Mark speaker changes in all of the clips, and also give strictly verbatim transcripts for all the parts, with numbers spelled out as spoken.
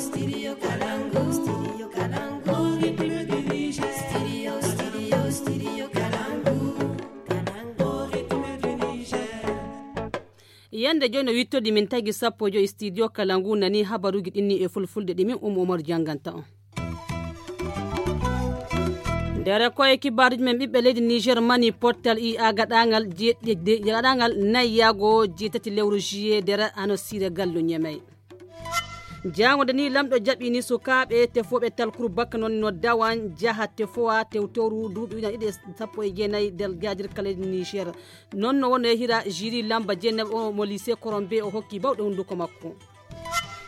Speaker 1: studio Kalangu, studio Kalangu, rythme du Niger. Studio, studio, studio Kalangu, Kalangu, rythme du Niger. Yande jono wittodi min tagi sappo jo studio Kalangu nani habaruji dinni e fulfulde dimin um Omar janganta on. Dere koye kibaruji men ɓiɓɓe leydi Niger mani portal i a gaɗangal jeɗɗe gaɗangal nayyago jeetati lewru juillet dere ano sire gallo nyamay. Jango dani lamɗo jaɓini sukaɓe tefoɓe talkuru bakka non no dawan jaha tefowa tewtoru duuɓi ujan ɗiɗi sappo e jeenayi del gajir kala leydi Niger non no wonno hira jiri lamba jeenaɓe o mo lycée Korombe o hokki bawɗe hunduko makko.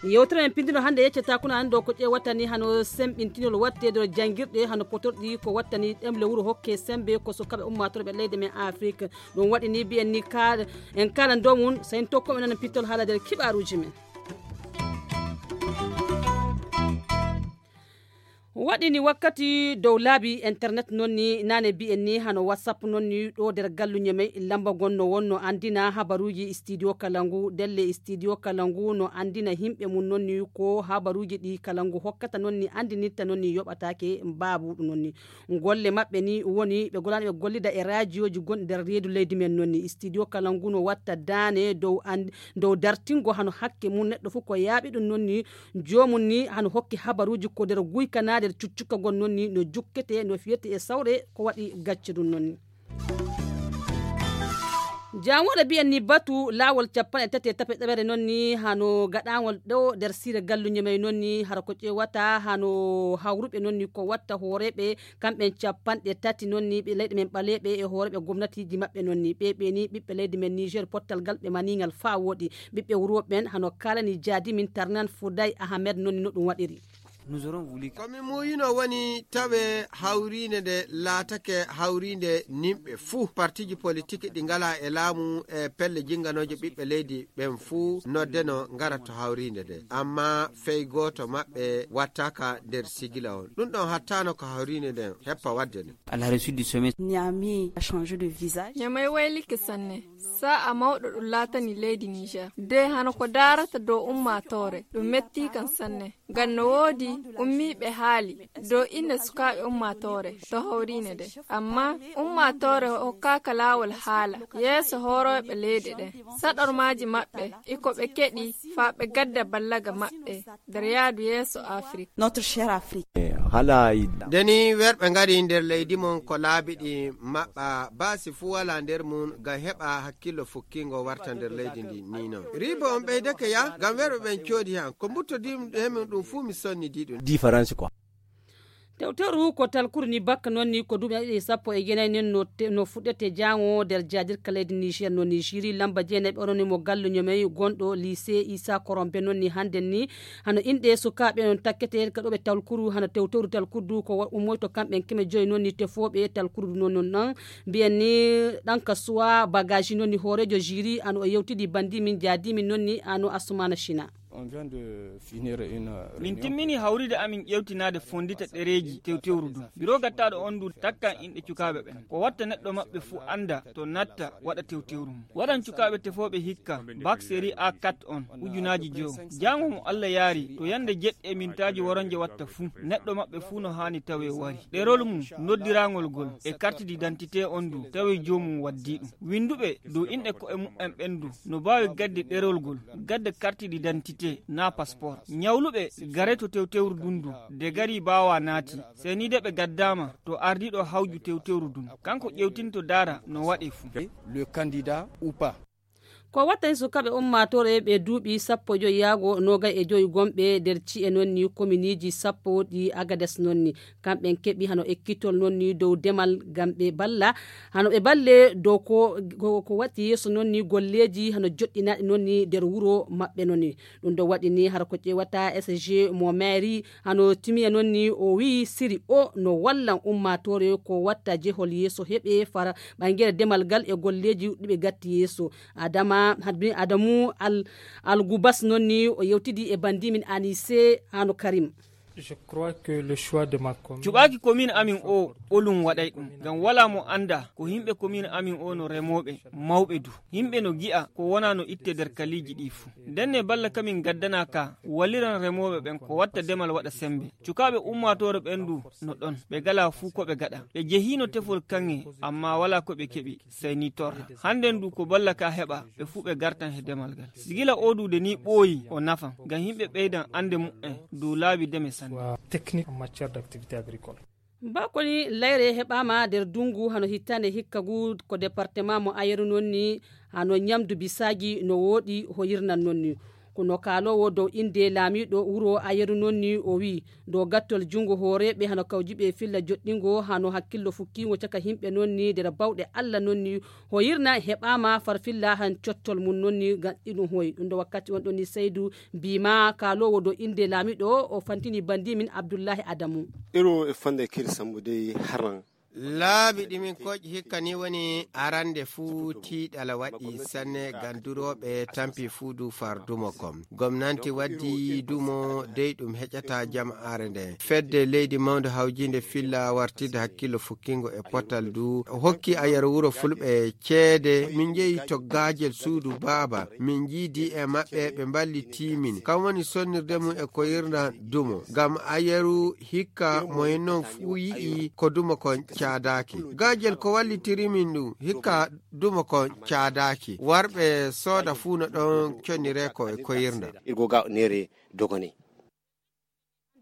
Speaker 1: Yewtere men pindino hande yeccata kuna hando ko ƴe wattani hano sembintinol wattede jangirɗe hano potorɗi ko wattani ɗemle wuro hokke sembe ko sukaɓe ummatore leydi men Afrique ɗum waɗi ni biyen ni ka en kala domum sen tokko men nan pittol haala der kibaruji men. Waɗini wakkati dow laabi internet nonni nane bi'en ni hano whatsapp nonni ɗo der gallu nyame lamba gonno wonno andina habaruji studio Kalangu delle studio Kalangu no andina himɓe mun nonni ko habaruji ɗi Kalangu hokkata nonni andinitta nonni yoɓatake babu nonni golle maɓɓe ni woni ɓe golani ɓe gollida e radioji gonɗi nder reedu leydi men nonni studio Kalangu no watta dane dow and dow dartingo hano hakke mun neɗɗo fu ko yaaɓi ɗum nonni jomum ni hano hokki habaruji ko der guykanade cuccuka gon nonni no jukkete no fiyete e sawre ko waɗi gacce ɗum nonni. Jangoɗo biyen ni batu lawol capan e tati e tape ɗaɓere nonni hano gaɗawol ɗo der sire gallu nyamay nonni hara ko ƴewata hano hawruɓe nonni ko watta hooreɓe kamɓen capanɗe tati nonni ɓe leyɗe men ɓaleɓe e hooreɓe gomnatiji maɓɓe nonni ɓe ɓe ni ɓiɓɓe leydi men Niger pottal gal ɓe manigal fa woɗi ɓiɓɓe wuroɓen hano kalani jadi min Tarnan Fouday Ahmed nonni no ɗum waɗiri.
Speaker 2: Nous aurons voulu
Speaker 3: komi muyino woni tawe hawrinde nde laatake hawrinde nimɓe fuu partiji politique ɗi ngala e laamu e pelle jinganoje ɓiɓɓe leydi ɓen fuu noddeno ngara to hawrinde nde amma fey goto maɓɓe wattaka nder sigila on ɗum ɗon hattano ko hawrinde nden heppa wadde ne.
Speaker 2: à la réussite du sommet.
Speaker 4: Niamey a changé de visage.
Speaker 5: Niamey waylike sanne sa a mawɗo ɗum laatani leydi Niger de hano ko darata dow ummatore ɗum metti kan sanne ngam no woodi ummiɓe haali dow inde sukaɓe ummatore to hawrine nde amma ummatore hokkaka laawol haala yeeso horoɓe leyɗe ɗen saɗormaji maɓɓe iko ɓe keɗi faa ɓe gadda ballaga maɓɓe nder yaadu yeeso Afrique.
Speaker 4: Notre cher Afrique.
Speaker 3: deni werɓe ngari nder leydi mon ko laabiɗi maɓɓa baasi fuu wala nder mum ngam heɓa hakkillo fukkingo warta nder leydi ndi ni non ribo on ɓeydake ya ngam werɓe ɓen coodi han ko mbuttodimin ɗum fuu mi sonni di ɗum
Speaker 1: différence quoi. Tewteru ko talkuru ni bakka nonni ko duɓi ɗiɗi sappo e jenayi nen no no fuɗɗete jango nder jadir kaledi Niger no Nigeri lamba jeenayi ɓe mo gallu nyamay gonɗo lycée Issa Korombe nonni hande ni hano inde sukaɓe non takkete ka ɗoɓe talkuru hano tewteru talkurdu ko ummoyto kamɓe keme joyi nonni tefoɓe talkuru non non biyen ni ɗan kasuwa bagage nonni horejo jiri ano o yewtidi bandi min jadi min nonni ano Asumana Shina.
Speaker 6: On vient de finir une
Speaker 7: min timmini hawride amin ƴewtinade fondita ɗereji tewtewru du biro gattaɗo on du takkan inɗe cukaɓe ɓen ko watta neɗɗo maɓɓe fu anda to natta waɗa tewtewru mum waɗan cukaɓe tefoɓe hikka bac série A quatre on ujunaji jow jango mo Allah yaari to yande jeɗɗe mintaji woronje watta fu neɗɗo maɓɓe fu no hani tawe wari ɗerol mum noddirangol gol e carte d'identité on du tawe jomum waddi ɗum winduɓe dow inɗe ko e mumen ɓen du no bawi gadde ɗerol gol gadde carte d'identité na passeport nyawluɓe gare to tewtewru dundu de gari bawa naati seni de ɓe gaddama to ardiɗo hawju tewtewru dun kanko ƴewtinto dara no waɗi fu
Speaker 6: le candidat ou pas.
Speaker 1: Ko wattani sukaɓe ummatore ɓe duuɓi sappo joyi yaago nogay e joyi gomɓe nder ci'e nonni commune sappo ɗi Agades nonni kamɓen keɓi hano ekkitol nonni dow demal ngam ɓe balla hano ɓe balle dow ko ko watti yeeso nonni golleji hano joɗɗinaɗe nonni nder wuro maɓɓe nonni ɗum ɗo waɗi ni har ko ƴewata S G mo maire hano timiya nonni o wi siri o no wallan ummatore ko watta jehol yeeso heɓe fara ɓangere demal gal e golleji ɗiɓe gatti yeeso adama hadbi Adamu al al Gubas nonni o yewtidi e bandimin Anise hano Karim.
Speaker 7: cuɓaki commune amin o ɓolum waɗay ɗum ngam wala mo anda ko himɓe commune amin o no remoɓe mawɓe du himɓe no gi'a ko wona no itte nder kaliji ɗi fuu ndenne balla kamin gaddana ka walliran remoɓe ɓen ko watta demal waɗa sembe cukaɓe ummatore ɓen du no ɗon ɓe gala fuu ko ɓe gaɗa ɓe jehino tefol kange amma wala ko ɓe keɓi sey ni torra handen du ko balla ka heɓa ɓe fuu ɓe gartan he demal ngal sigila odude ni ɓooyi o nafan ngam himɓe ɓeydan ande mu'en dow laabi deme sanne
Speaker 8: technique en matière d'activité agricole.
Speaker 1: bakoni layre heɓama nder dungu hano hittande hikkagu ko département mo ayeru nonni hano ñamdu bisagi no woɗi hoyirnan nonni kono kalowo dow inde laamiɗo wuro ayeru nonni o wi dow gattol jungo hooreɓe hano kawjiɓe filla joɗɗingo hano hakkillo fukkingo caka himɓe nonni nder bawɗe allah nonni hoyirna heɓama farfilla han cottol mum nonni gaɗɗiɗum hoy ɗum do wakkati on ɗonni Seydou bima kalowo dow inde laamiɗo o fantini bandi min Abdoullahi Adamu
Speaker 9: iro e fande kiri sambude haran
Speaker 3: laabi ɗimin koƴi hikka ni woni arande fuu tiiɗala waɗi sanne ganduroɓe tampi fuu du far dumo kom gomnanti waddi dumo dey ɗum heƴata jam'are nde fedde leydi mawde hawjinde filla wartide hakkillo fukkingo e potal du hokki ayero wuro fulɓe ceede min jeeyi toggajel suudu baaba min jiidi e maɓɓe ɓe mballiti min kam woni sonnirde mum e ko yirna dumo ngam ayeru hikka moyen noon fuu yi'i ko dumo kon caadaki gajel ko wallitiri min ɗum hikka duma ko caadaki warɓe sooda fuu no ɗon connire ko e koyirda
Speaker 9: irgoga nere dogoni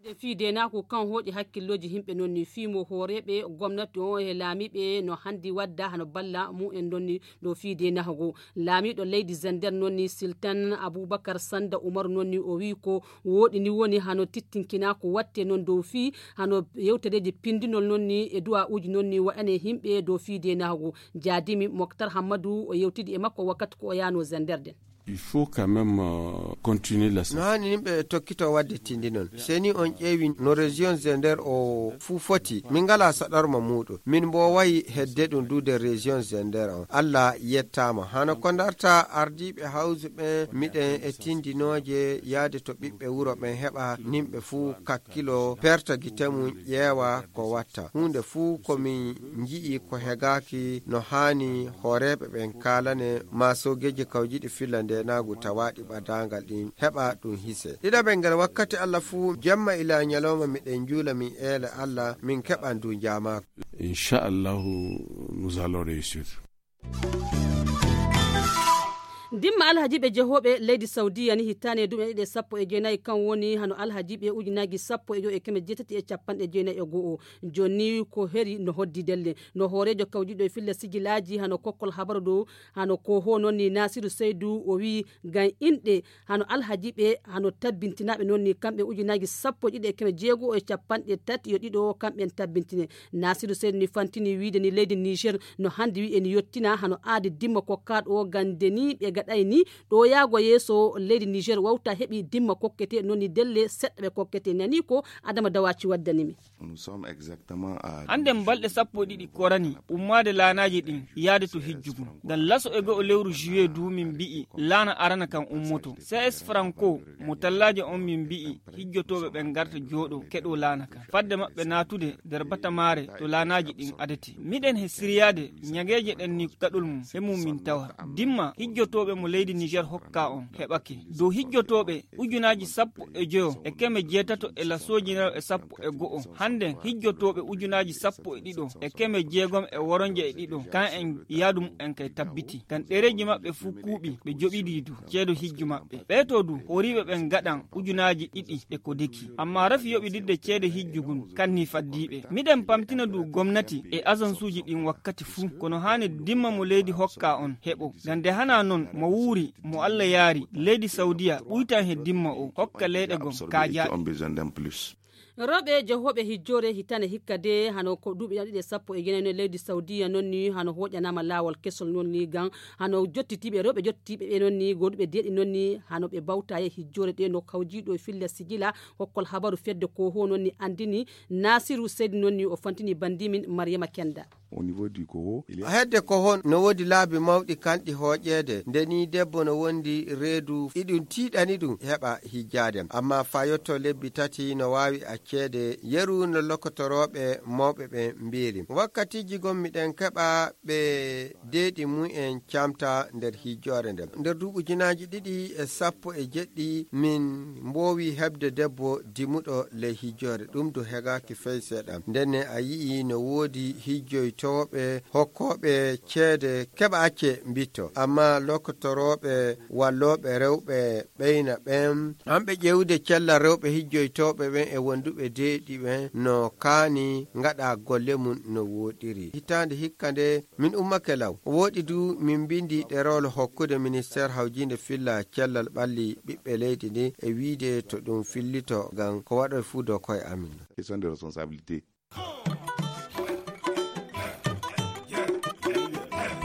Speaker 1: de fiide na ko kan hoɗi hakkilloji himɓe nonni fimo hooreɓe gomnati o e laamiɓe no handi wadda hano balla mu en donni do fiide nahago laamiɗo leydi Zender nonni Sultan Abubakar Sanda Umar nonni o wi ko woɗi ni woni hano tittinkina ko watte non dow fi hano yewtedeji pindinol nonni e duwa uji nonni wa'ane himɓe do fiide nahago jadimi Mokhtar Hamadou o yewtidi e makko wakkati ko o yano Zender den
Speaker 10: il faut quand même euh, continuer la
Speaker 3: no hani yimɓe tokkito wadde tindi noon seni on ƴeewi no région Zender o fuu foti min ngala saɗorma muɗum min bo wayi hedde ɗum duude région Zender on Allah yettama hano ko darta ardiɓe hawse ɓen miɗen e tindinoje yaade to ɓiɓɓe wuro ɓen heɓa nimɓe fuu kakkilo perta gite mum ƴeewa ko watta hunde fuu komin ji'i ko hegaki no hani hooreɓe ɓen kalane masogeji kawjiɗi fillande nagu tawaɗi ɓadangal ɗin heɓa ɗum hise ɗiɗaɓe nder wakkati Allah fuu jemma ila ñalawma miɗen juula min eele Allah min keɓan du jamako
Speaker 10: inchallahu nous allons réussir.
Speaker 1: dimma alhajiɓe jehoɓe leydi Saudiya ni hittane dume ɗiɗi sappo e jeenayi kan woni hano alhajiɓe ujunnaji sappo e jo e keme jeetati e capanɗe jeenayi e go'o joni ko heri no hoddi delle no hoorejo kawjiɗo e filla sigilaji hano kokkol habaru dow hano ko ho nonni Nasiru Seydou o wi gam inɗe hano alhajiɓe hano tabbintinaɓe nonni kamɓe ujunnaji sappo ɗiɗi e keme jeego e capanɗe tati yo ɗiɗo kamɓen tabbintine Nasiru Seydou ni fantini wiide ni leydi Niger no handi wi en yottina hano aadi dimma kokkaɗo o gandeni ɓe gaɗay ni ɗo yaago yeeso leydi Niger wawta heɓi dimma kokkete nonni delle seɗɗa ɓe kokkete nani ko Adama Dawaci waddanimi
Speaker 7: hande balɗe sappo ɗiɗi korani ummade laanaji ɗin yaade to hijjugu ngam laso e go lewru juillet du min mbi'i laana arana kan ummoto C S Franco mo tallaje on min mbi'i hijjotoɓe ɓen garta jooɗo keɗo laana kan fadde maɓɓe natude nder batamare to laanaji ɗin adati miɗen he siriyade ñageje ɗen ni gaɗol mum he mum min tawa dimma hijjotoɓe mo leydi Niger hokka on heɓake dow hijjotoɓe ujunaji sappo e joyo e keme jeetato e lasojinaro e sappo e go'o hande hijjotoɓe ujunaji sappo e ɗiɗo e keme jeegom e woronje e ɗiɗo kan en yaadum en kay tabbiti kan ɗereji maɓɓe fuu kuuɓi ɓe joɓidi du ceedo hijju maɓɓe ɓeeto du horiɓe ɓen gaɗan ujunaji ɗiɗi e ko deki amma rafi yoɓididde ceede hijjugun kanni faddiɓe miɗen pamtina du gomnati e agence uji ɗin wakkati fuu kono hani dimma mo leydi hokka on heɓo gande hana non mo wuuri mo Allah yaari leydi Saudiya ɓuytan he dimma o hokka leyɗe gom kaajaɗe
Speaker 1: roɓe jehoɓe hijjore hitane hikka de hano ko duuɓi ɗiɗi sappo e jenayno leydi Saudiya nonni hano hoƴanama lawol kesol nonni gam hano jottitiɓe roɓe jottitiɓe ɓe nonni goduɓe deeɗi nonni hano ɓe bawta e hijjore ɗe no kawjiɗo e filla sigila hokkol habaru fedde ko ho nonni andini Nasiru Seydou nonni o fantini bandimin Mariama Kenda
Speaker 11: au niveau du Koho.
Speaker 3: hedde Koho no wodi laabi mawɗi kanɗi hooƴeede ndeni debbo no wondi reedu iɗum tiiɗani ɗum heɓa hijjade amma fa yotto lebbi tati no waawi acceede yeru no lokotoroɓe mawɓe ɓe mbiri wakkatiji gommiɗen keɓa ɓe deeɗi mu'en camta nder hijjore nden nder duuɓujinaji ɗiɗi e sappo e jeɗɗi min mbowi heɓde debbo dimuɗo ley hijjore ɗum do hegaki fey seeɗa ndenne a yii no woodi hijjoytoɓe hokkoɓe ceede keɓa acce mbitto amma lokotoroɓe walloɓe rewɓe ɓeyna ɓen amɓe ƴewde cella rewɓe hijjoytoɓe ɓen e wonduɓe deeɗi ɓen no kaani ngaɗa golle mum no woɗiri hitande hikka nde min ummake law woɗi du min bindi ɗerewol hokkude ministére hawjinde filla cellal ɓalli ɓiɓɓe leydi ndi e wiide to ɗum fillito ngam ko waɗoy fuu dow koye amin
Speaker 11: question de responsabilité.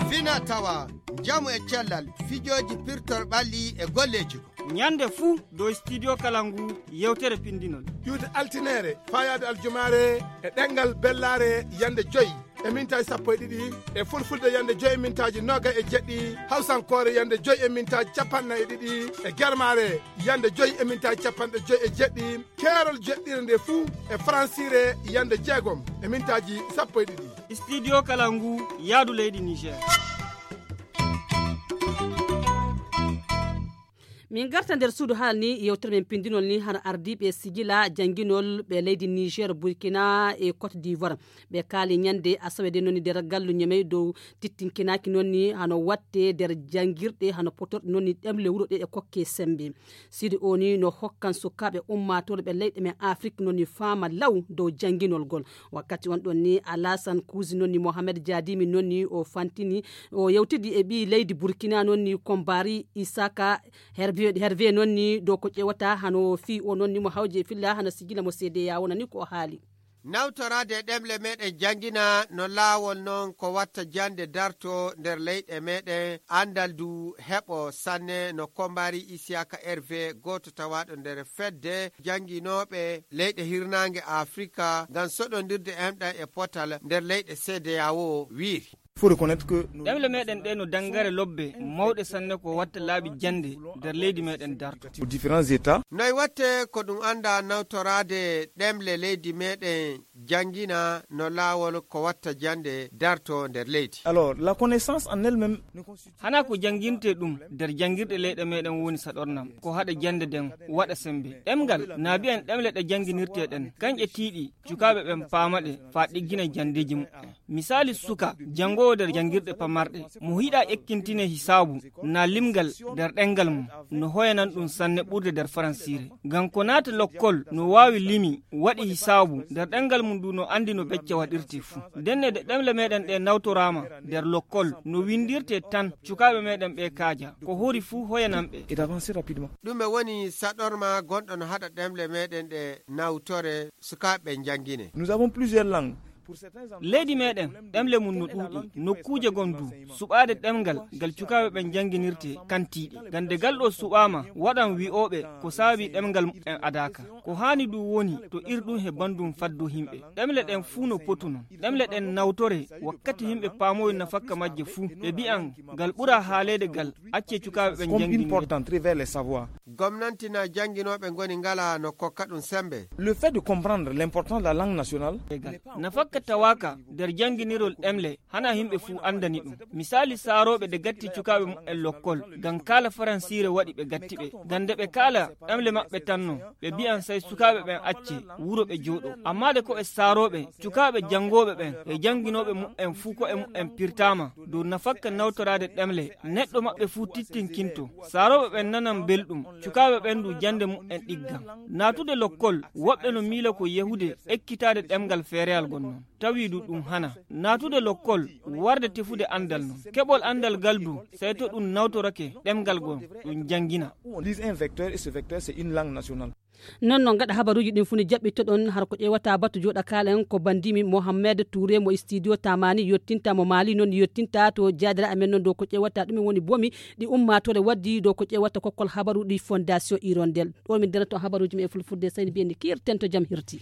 Speaker 3: fina tawa jamu e cellal fijoji pirtor ɓalli e golleji ko
Speaker 7: nyande fuu dow studio kalangu yewtere pindinol
Speaker 12: yuude altinere fayade aljumare e ɗengal bellare yande joyyi e mintaji sappo e ɗiɗi e fulfulde yande joyi e mintaji noga e jeɗɗi hawsankore yande joyi e mintaji capannayyi e ɗiɗi e germare yande joyi e mintaji capanɗe joyi e jeɗɗi keerol jeɗɗire nde fuu e francire yande jeegom e mintaji sappo e ɗiɗi
Speaker 7: studio kalangu yaadu leydi niger.
Speaker 1: min garta nder suudu haala ni yewtere men pindinol ni hano ardiɓe sigila janguinol ɓe leydi niger burkina e cote d'ivoire ɓe kaali ñande asawede noonni nder gallu ñamey dow tittinkinaki noonni hano watte nder jangguirɗe hano potorɗe noonni ɗemle wuuro ɗe e kokke sembe sidi o ni no hokkan sukaɓe ummatoɓe ɓe leyɗe men afrique noonni faama law dow janguinol gol wakkati on ɗon ni alassane kousi noonni mohamed diadimi noonni o fantini o yewtidi e ɓi leydi burkina noonni kombari isaka herbe herve nonni dow ko ƴewata hano fi o nonni mo hawje filla hano sigila mo seede yawona ni ko haali
Speaker 3: nawtorade ɗemle meɗen jangina no laawol noon ko watta jande darto nder leyɗe meɗen andal du heɓo sanne no kombari isiaka herve goto tawaɗo nder fedde janginoɓe leyɗe hirnangue afrika ngam soɗodirde emɗan e potal nder leyɗe seede yawo wiiri
Speaker 7: ɗemle meɗen ɗe no dangare lobbe mawɗe sanne ko watta laabi jande nder leydi meɗen darto
Speaker 12: différents états
Speaker 3: noy watte ko ɗum anda nawtorade ɗemle leydi meɗen jangina no laawol ko watta jande darto nder leydi.
Speaker 12: Alors la connaissance en elle-même
Speaker 7: hana ko janginte ɗum nder jangirɗe leyɗe meɗen woni saɗornam ko haɗa jande den waɗa sembe ɗemgal na biyen ɗemle ɗe janginirteɗen kanƴe tiiɗi cukaɓe ɓen paamaɗe fa ɗiggina jandeji muɗɗen misali suka jango nder jangirɗe pamarɗe mo hiɗa ekkintine hisabu na limgal nder ɗengal mum no hoyanan ɗum sanne ɓurde nder faransire ngam ko naata lokkol no wawi limi waɗi hisabu nder ɗengal mum du no andi no becce waɗirte fuu denne de ɗemle meɗen ɗe nawtorama nder lokkol no windirte tan cukaɓe meɗen ɓe kaaja ko hori fuu hoyananɓe
Speaker 3: ɗume woni saɗorma gonɗo no haɗa ɗemle meɗen ɗe nawtore sukaɓe jangine.
Speaker 12: Nous avons plusieurs langues.
Speaker 7: leydi meɗen ɗemle mum no ɗuuɗi nokkuje gon du suɓade ɗemgal ngal cukaɓe ɓen janginirte kantiɗi gande galɗo suɓama waɗan wi'oɓe ko saabi ɗemgal en adaka ko hani du woni to irɗum he bandum faddu himɓe ɗemle ɗen fuu no potu non ɗemle ɗen nawtore wakkati himɓe paamoyi nafakka majje fuu ɓe mbi'an ngal ɓuura haalede gal acce cukaɓe ɓen jangini
Speaker 3: gomnati na janginoɓe goni ngala no kokka ɗum sembe.
Speaker 12: Le fait de comprendre l'importance de la langue nationale
Speaker 7: nafakka tawaka nder janginirol ɗemle hana himɓe fuu andani ɗum misali saaroɓe de gatti cukaɓe mumen lokkol ngam kala faransire waɗi ɓe gatti ɓe gande ɓe kala ɗemle maɓɓe tanno ɓe mbi'an say sukaɓe ɓen acce wuro ɓe jooɗo amma de ko e saaroɓe cukaɓe jangoɓe ɓen e janginoɓe mumen fuu ko e mumen pirtama dow nafakka nawtorade ɗemle neɗɗo maɓɓe fuu tittinkinto saaroɓe ɓen nanan belɗum cukaɓe ɓen du jande mumen ɗiggan natude lokkol woɓɓe no miila ko yahude ekkitade ɗemgal feereyal gonnon tawi du ɗum hana natude lokkol warde tefude andal non keɓol andal galdu sey to ɗum nawtorake ɗemgal gon ɗum jangina
Speaker 1: non noon gaɗa habaruji ɗin funi jaɓɓittoɗon har ko ƴewata battu joɗa kalen ko bandimi mohammed touré mo studio tamani yettinta mo mali noon yettinta to jadira amen noon dow ko ƴewata ɗumen woni bomi ɗi ummatore waddi dow ko ƴewata kokkol habaru ɗi fondation irondel ɗo min dena to habaruji men e fulfurde sayni mbiyendi kirten to jaam hirti.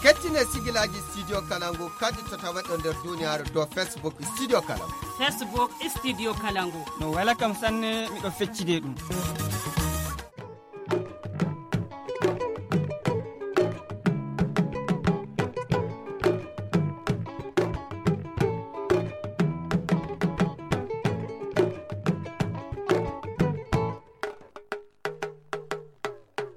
Speaker 3: kettine sigilaji studio kalangu kadi to tawaɗo nder duniyaaru dow facebook studio kalangu
Speaker 1: facebook studio kalangu
Speaker 7: no wala kam sanne miɗo feccide ɗum